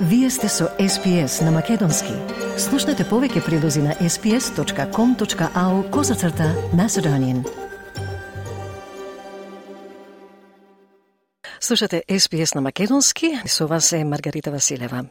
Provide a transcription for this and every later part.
Вие сте со SPS на Македонски. Слушнете повеќе прилози на sps.com.au/Macedonian. Слушате SPS на Македонски, со вас е Маргарита Василева.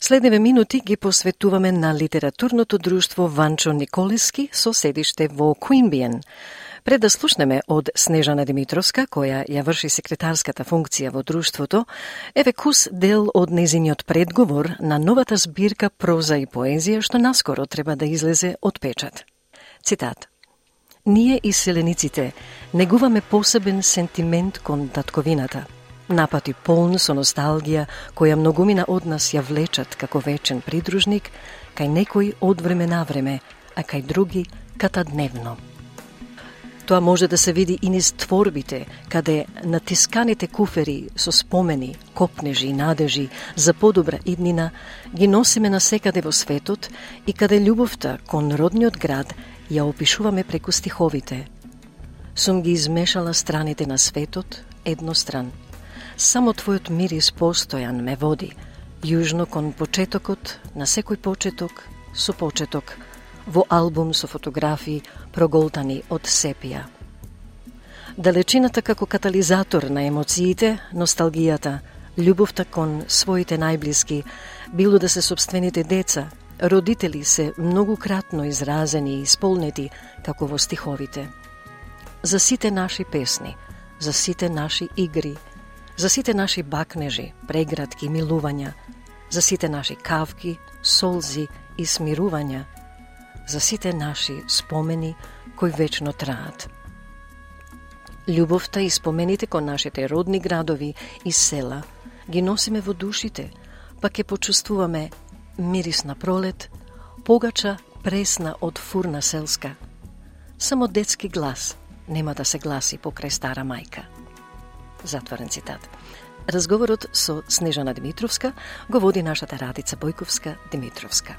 Следниве минути ги посветуваме на литературното друштво Ванчо Николески со седиште во Queanbeyan. Пред да слушнеме од Снежана Димитровска, која ја врши секретарската функција во друштвото, еве кус дел од незиниот предговор на новата збирка проза и поезија што наскоро треба да излезе од печат. Цитат: Ние иселениците негуваме посебен сентимент кон татковината, напати полн со носталгија која многумина од нас ја влечат како вечен придружник, кај некои од време на време, а кај други катадневно. Тоа може да се види и низ творбите, каде натисканите куфери со спомени, копнежи и надежи за подобра иднина ги носиме насекаде во светот и каде љубовта кон родниот град ја опишуваме преку стиховите. Сум ги измешала страните на светот едностран. Само твојот мирис постојан ме води, јужно кон почетокот, на секој почеток, со почеток, во албум со фотографии проголтани од сепија. Далечината како катализатор на емоциите, носталгијата, љубовта кон своите најблиски, било да се сопствените деца, родители се многукратно изразени и исполнети како во стиховите. За сите наши песни, за сите наши игри, за сите наши бакнежи, прегратки и милувања, за сите наши кавки, солзи и смирувања, за сите наши спомени кои вечно траат. Љубовта и спомените кон нашите родни градови и села ги носиме во душите, па ќе почувствуваме мирис на пролет, погача пресна од фурна селска. Само детски глас нема да се гласи покрај стара мајка. Затворен цитат. Разговорот со Снежана Димитровска го води нашата Радица Бојковска-Димитровска.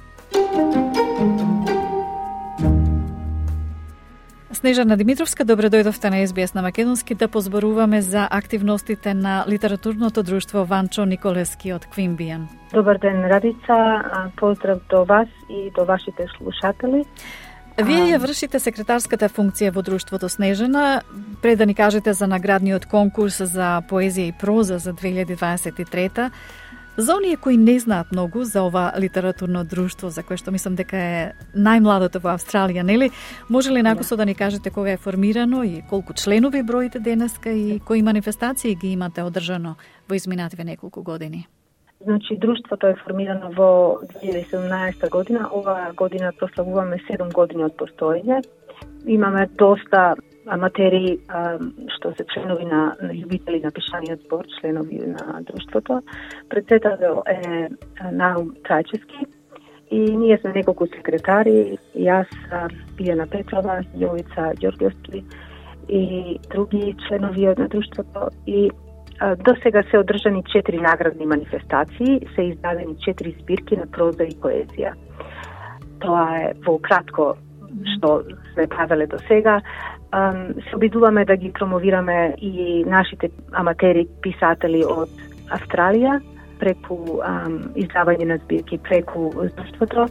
Снежана Димитровска, добре дојдовте на SBS на Македонски да позборуваме за активностите на литературното друштво Ванчо Николески од Queanbeyan. Добар ден, Радица. Поздрав до вас и до вашите слушатели. Вие ја вршите секретарската функција во друштвото Снежана. Пред да ни кажете за наградниот конкурс за поезија и проза за 2023. За оние кои не знаат многу за ова литературно друштво, за кое што мислам дека е најмладото во Австралија, нели? Може ли накусо да ни кажете кога е формирано и колку членови броите денеска и кои манифестации ги имате одржано во изминативе неколку години? Значи, друштвото е формирано во 2017 година. Ова година прославуваме 7 години од постоење. Имаме доста аматери што се членови на љубители на пишаниот збор, членови на друштвото. Председател е Наум Трајчевски и ние сме неколку секретари, јас, Билјана Петрова, Јовица Ѓорѓевски и други членови на друштвото. И до сега се одржани 4 наградни манифестации, се издадени 4 збирки на проза и поезија. Тоа е во кратко што сме правеле до сега. Се обидуваме да ги промовираме и нашите аматери писатели од Австралија преку издавање на збирки преку друштвото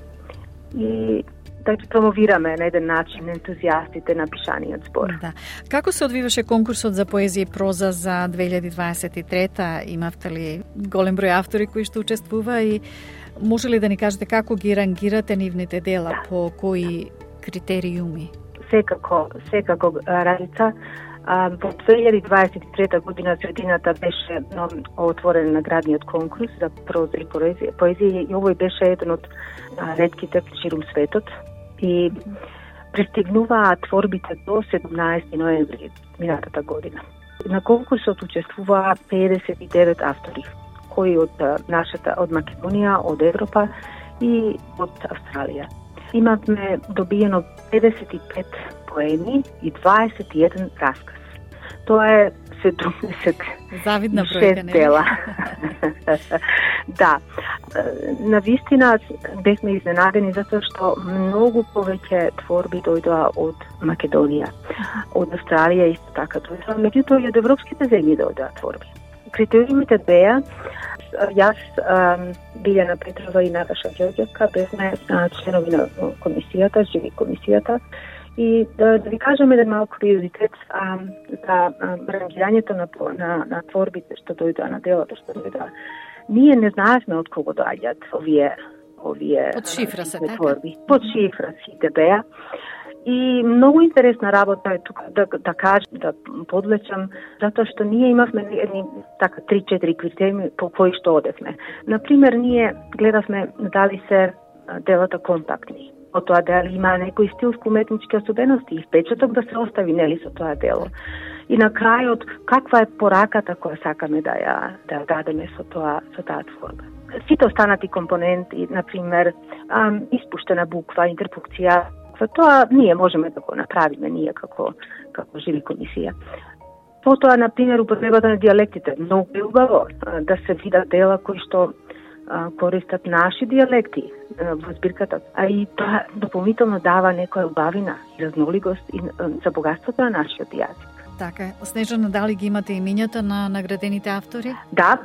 и да ги промовираме на еден начин ентузијастите на пишаниот збор. Да. Како се одвиваше конкурсот за поезија и проза за 2023? Имавте ли голем број автори кои што учествува и може ли да ни кажете како ги рангирате нивните дела, по кои критериуми? Секако, Радица. Во 2023 година средината беше отворен наградниот конкурс за проза и поезија и овој беше еден од ретките ширум светот и пристигнуваа творбите до 17 ноември минатата година. На конкурсот учествуваа 59 автори, кои од Македонија, од Европа и од Австралија. Имавме добиено 55 поеми и 21 расказ. Тоа е 76 дела. Да. Навистина бевме изненадени затоа што многу повеќе творби дојдоа од Македонија, од Австралија исто така дојдоа, меѓутоа и од европските земји дојдоа творби. Критериумите беа јас, Билјана Петрова и Наташа Ѓорѓевска, бевме членови на комисијата, живи комисијата, и да ви кажеме да малку приоритет за рангирањето на творбите што дојдоа, на делото што дојдоа. Ние не знаевме од кого доаѓаат овие под шифра се творби. Под шифра сите беа. И многу интересна работа е тука да кажам, да подлечам, затоа што ние имавме едни така 3-4 критерии по кои што одевме. Например, ние гледавме дали се делата компактни, од тоа дали има некои стилско-уметнички особености и впечаток да се остави нели со тоа дело. И на крајот, каква е пораката која сакаме да ја дадеме со таа творба. Сите останати компоненти, например, испуштена буква, интерпункција, тоа ние можеме да го направиме, ние како живи комисија. Потоа, например, употребата на дијалектите. Многу е убаво да се видат дела кои што користат наши дијалекти во збирката, а и тоа дополнително дава некоја убавина и разноликост и за богатството на нашиот јазик. Така, Снежана, дали ги имате имињата на наградените автори? Да,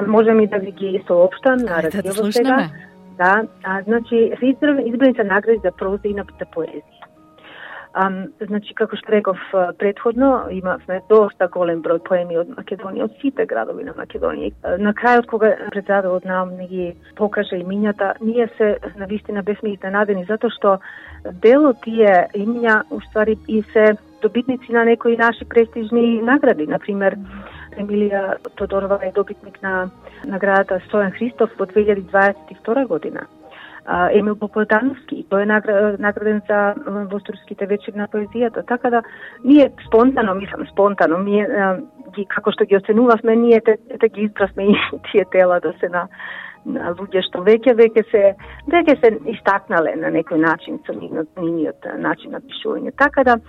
можем и да ви ги соопштам на радио сега. Да, значи, избрани се награди за проза и за поезија. Значи, како што реков предходно, имавме доста голем број поеми од Македонија, од сите градови на Македонија. На крајот, кога председателот нам не ги покаже имињата, ние се навистина бевме изненадени, затоа што дел од тие имиња уствари и се добитници на некои наши престижни награди. Например, Емилија Тодорова е добитник на наградата Стојан Христов во 2022 година. Емил Поподановски, тој е награден за Восторските вечери на поезијата. Така да, ние спонтано, ние како што ги оценувавме, ние те ги избравме и тие тела да се на луѓе што веќе се истакнале на некој начин со нивниот начин на пишување. Така да,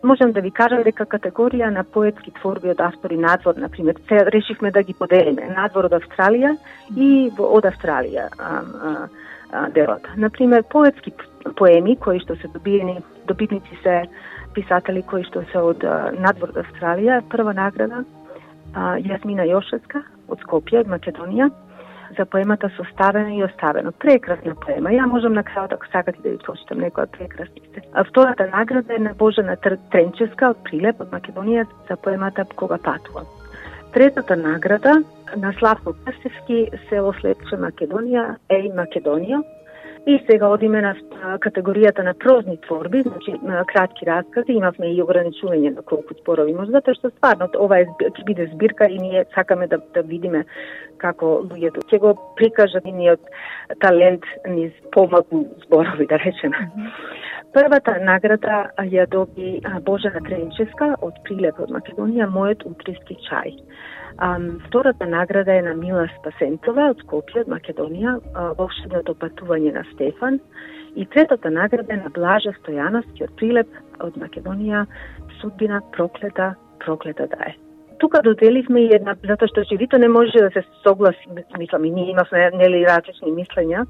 можам да ви кажам дека категорија на поетски творби од автори надвор, например, решивме да ги поделиме надвор од Австралија и од Австралија делата. Например, поетски поеми кои што се добитници се писатели кои што се од надвор од Австралија, прва награда Јасмина Јошевска од Скопје, од Македонија, за поемата Составено и оставено. Прекрасна поема. Ја можам на крајот, ако сакате да ви прочитам некоја прекрасните. Втората награда е на Божана Тренчевска од Прилеп, од Македонија, за поемата Кога патувам. Третата награда на Славко Крстевски, село Слепче, Македонија, Еј Македонија. И сега одиме на категоријата на прозни творби, значи кратки раскази, имавме и ограничување на колку зборови може, затоа што стварно ова ќе биде збирка и ние сакаме да видиме како луѓето ќе го прикажат нивниот талент низ помалку зборови, да речеме. Првата награда ја доби Божана Тренчевска од Прилеп, од Македонија, Мојот утрески чај. Втората награда е на Мила Спасенцова од Скопје, од Македонија, Волшебното патување на Стефан. И третата награда е на Блажа Стојановски од Прилеп, од Македонија, Судбина проклета да е. Тука доделивме и една, затоа што живито не може да се согласи, мислам, и ние имавме различни мислења.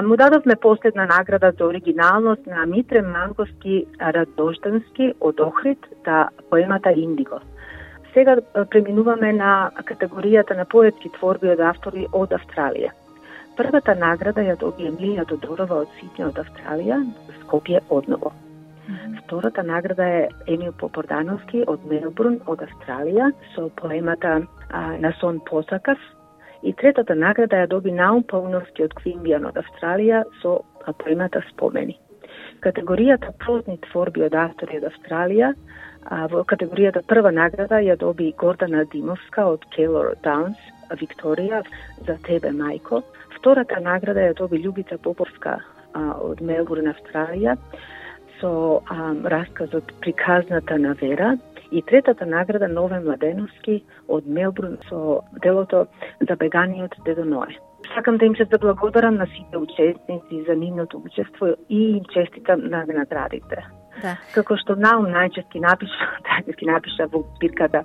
Му дадовме последна награда за оригиналност на Митре Манковски Радождански од Охрид за поемата Индиго. Сега преминуваме на категоријата на поетски творби од автори од Австралија. Првата награда ја доби Емилија Тодорова од Сиднеј, од Австралија, Скопје одново. Втората награда е Емил Попордановски од Мелбурн, од Австралија, со поемата На сон посакав. И третата награда ја доби Наум Пауновски од Квимбијан, од Австралија, со поемата Спомени. Категоријата прозни творби од автори од Австралија, во категоријата прва награда ја доби Гордана Димовска од Келор Даунс, Викторија, За тебе, мајко. Втората награда ја доби Љубица Поповска од Мелбурн, Австралија, со расказот Приказната на Вера. И третата награда Нове Младеновски од Мелбурн со делото Забеганиот дедо Ное. Сакам да им се заблагодарам на сите учесници за нивното учество и им честитам на наградите. Да. Како што Наум најчести напиша во збирката,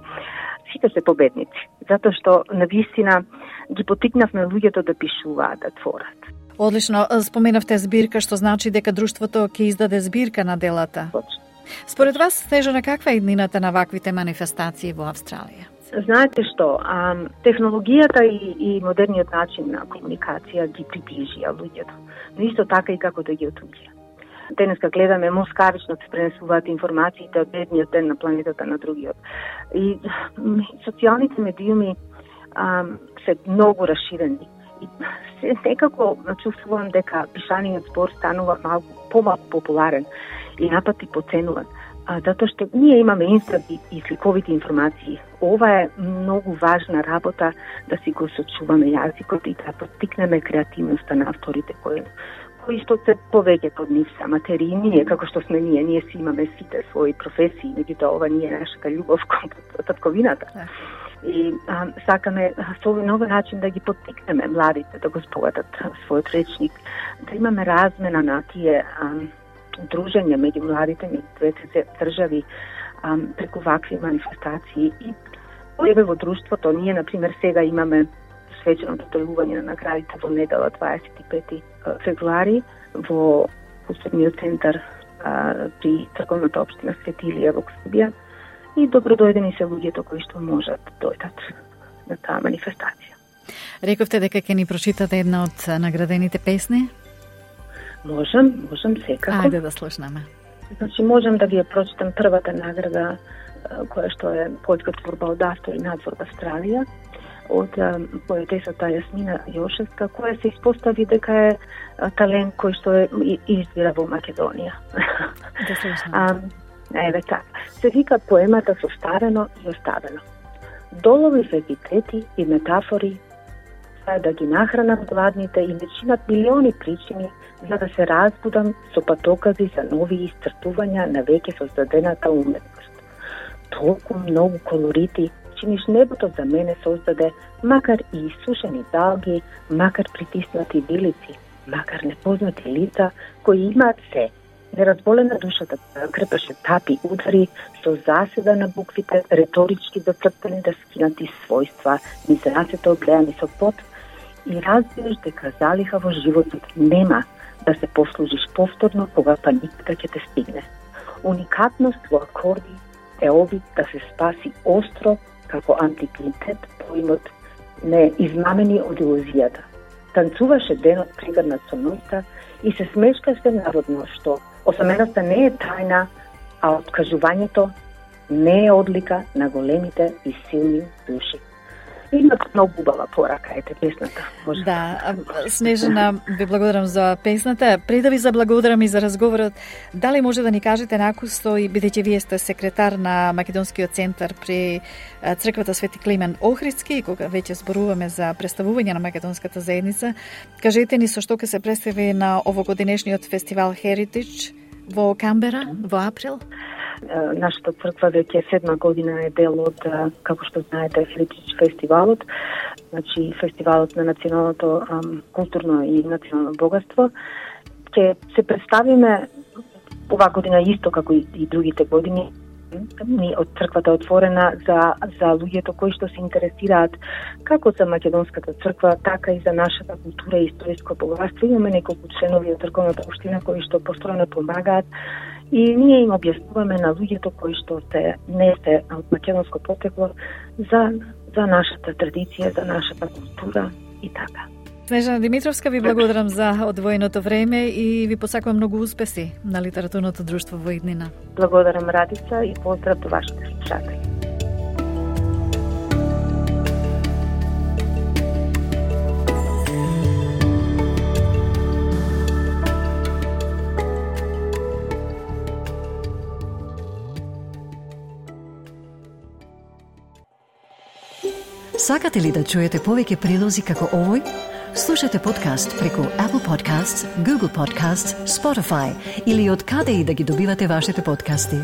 сите се победници, затоа што навистина ги потикнавме луѓето да пишуваат, да творат. Одлично, споменавте збирка, што значи дека друштвото ќе издаде збирка на делата. Точно. Според вас, Снежана, каква е иднината на ваквите манифестации во Австралија? Знаете што, технологијата и модерниот начин на комуникација ги приближија луѓето, но исто така и како да ги отуѓија. Денеска гледаме москавично се пренесуваат информациите од едниот ден на планетата на другиот. И социјалните медиуми се многу расширени. И секако чувствувам дека пишаниот збор станува помалку популарен и напати поценуван. Затоа што ние имаме инстант и сликовите информации. Ова е многу важна работа да си го сочуваме јазикот и да поттикнеме креативноста на авторите кои што се повеќе од нив се аматери. Ние, како што сме ние си имаме сите своји професии, меѓутоа ова не е нашата љубов кон татковината. И сакаме со овој начин да ги поттикнеме младите да го збогатат својот речник, да имаме размена на тие дружење меѓу младите, меѓу двете држави преку вакви манифестации. И еве во друштвото, ние, например, сега имаме свеченото доделување на наградите во недела 25 февруари во културниот центар при црковната општина Свети Илија во Скопје. И добродојдени се луѓето кои што можат да дојдат на таа манифестација. Рековте дека ќе ни прочитате една од наградените песни? Можам секако. Ајде да слушнеме. Значи, можам да ви ја прочитам првата награда, која што е поетска творба од автор и надвор во Австралија, од поетесата Јасмина Јошевска, која се испостави дека е талент кој што извира во Македонија. Да слушнеме. Еве така. Се вика поемата Состарено и оставено. Долови в епитети и метафори да ги нахранат гладните и не чинат милиони причини за да се разбудам со патокази за нови исцрпувања на веќе создадената уметност. Толку многу колорити чиниш небото за мене создаде, макар и исушени далги, макар притиснати билици, макар непознати лица кои имаат се. Неразболена душата крпеше тапи удари со заседа на буквите, реторички зацртани да скинати својства, низ рацете облеани со пот, и разбираш дека залиха во животот нема да се послужиш повторно кога паниката ќе те стигне. Уникатност во акорди е обид да се спаси остро како антиквитет поимот не измамени од илузијата. Танцуваше денот пригрнат со ноќта и се смешкаше наводно што осаменоста не е тајна, а откажувањето не е одлика на големите и силни души. Има многу убава порака, ете песната. Може да, Снежана, ви благодарам за песната. Пред да ви заблагодарам и за разговорот, дали може да ни кажете накусто, и бидејќи вие сте секретар на Македонскиот центар при црквата Свети Климен Охридски, и кога веќе зборуваме за представување на македонската заедница, кажете ни со што ќе се представи на овогодинешниот фестивал Heritage во Камбера во април? Нашата црква веќе 7 година е дел од, како што знаете, Heritage фестивалот, значи фестивалот на националното културно и национално богатство. Ќе се представиме оваа година исто како и другите години. Ни од црквата отворена за луѓето кои што се интересираат како за македонската црква, така и за нашата култура и историјско богатство. Имаме неколку членови од црковната општина кои што постојано помагаат и ние им објаснуваме на луѓето кои што не се од македонско потекло за нашата традиција, за нашата култура и така. Снежана Димитровска, ви благодарам за одвоеното време и ви посакувам многу успеси на литературното друштво во иднина. Благодарам, Радица, и поздрав до вашите слушатели. Сакате ли да чуете повеќе прилози како овој? Слушате подкаст преку Apple Podcasts, Google Podcasts, Spotify или од каде и да ги добивате вашите подкасти.